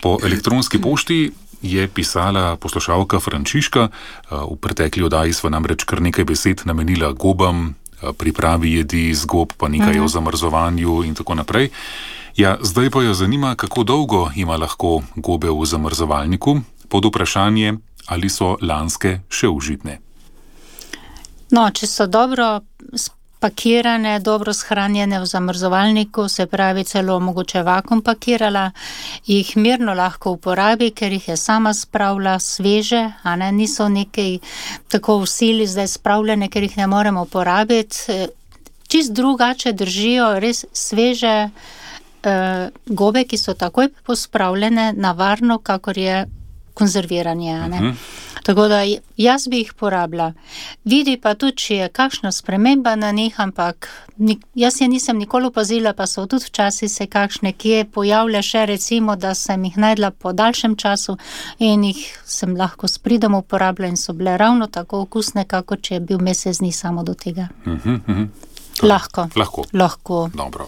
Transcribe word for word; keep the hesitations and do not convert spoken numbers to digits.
Po elektronski pošti je pisala poslušalka Frančiška. V pretekli oddaji sva namreč kar nekaj besed namenila gobam, pripravi jedi iz gob, pa nekaj o zamrzovanju in tako naprej. Ja, zdaj pa jo zanima, kako dolgo ima lahko gobe v zamrzovalniku, pod vprašanje, ali so lanske še užitne. No, če so dobro spakirane, dobro shranjene v zamrzovalniku, se pravi celo mogoče vakuum pakirala, jih mirno lahko uporabi, ker jih je sama spravila sveže, a ne, niso nekaj tako v sili zdaj spravljene, ker jih ne moremo uporabiti. Čist drugače držijo res sveže uh, gobe, ki so takoj pospravljene na varno, kakor je konzerviranje, a ne. Uh-huh. Tako da jaz bi jih porabila. Vidi pa tudi, če je kakšna sprememba na njih, ampak nik, jaz je nisem nikoli opazila, pa so tudi včasih se kakšne kje pojavlja še, recimo, da sem jih najdla po daljšem času in jih sem lahko s pridom uporabila in so bile ravno tako okusne, kako če je bil mesec dni samo do tega. Uh-huh, uh-huh. Lahko. Lahko. Lahko. Dobro.